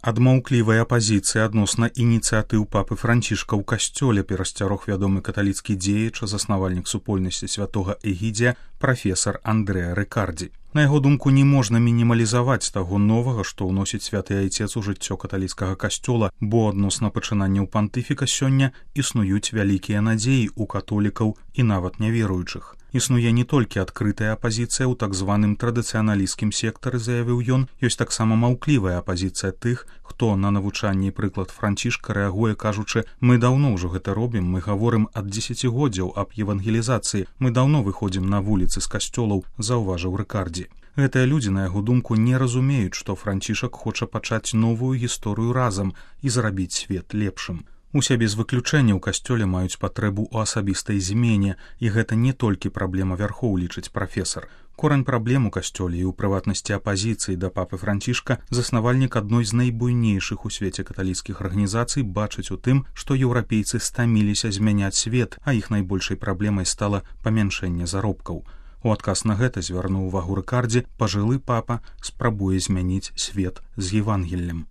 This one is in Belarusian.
Ад маўклівай апазіцыі адносна ініцыятыў папы Францішка ў касцёле перасцярог вядомы каталіцкі дзеяч, заснавальнік супольнасці святога Эгідзія, прафесар Андрэа Рыкардзі. На яго думку, не можна мінімалізаваць таго новага, што ўносіць святы айцец у жыццё каталіцкага касцёла, бо адносна пачынанняў пантыфіка сёння існуюць вялікія надзеі ў католікаў і нават няверуючых. Існуе не толькі адкрытая апазіцыя ў так званым традыцыяналісцкім сектары, заявіў ён, ёсць таксама маўклівая апазіцыя тых, хто на навучанні і прыклад Францішка рэагуе, кажучы: «Мы даўно ўжо гэта робім, мы гаворым ад дзесяцігоддзяў аб евангелізацыі, мы даўно выходзім на вуліцы з касцёлаў», заўважыў Рыкардзі. Гэтыя людзі, на яго думку, не разумеюць, што Францішак хоча пачаць новую гісторыю разам і зрабіць свет лепшым. Усе без выключэння ў касцёле маюць патрэбу ў асабістай змене, і гэта не толькі праблема вярхоў, лічыць прафесар. Корань праблем у касцёле і ў прыватнасці апазіцыі да папы Францішка заснавальнік адной з найбуйнейшых у свеце каталіцкіх арганізацый бачыць у тым, што еўрапейцы стаміліся змяняць свет, а іх найбольшай праблемай стала памяншэнне заробкаў. У адказ на гэта звярнуў увагу Рыкардзі, пажылы папа спрабуе змяніць свет з Евангеллем.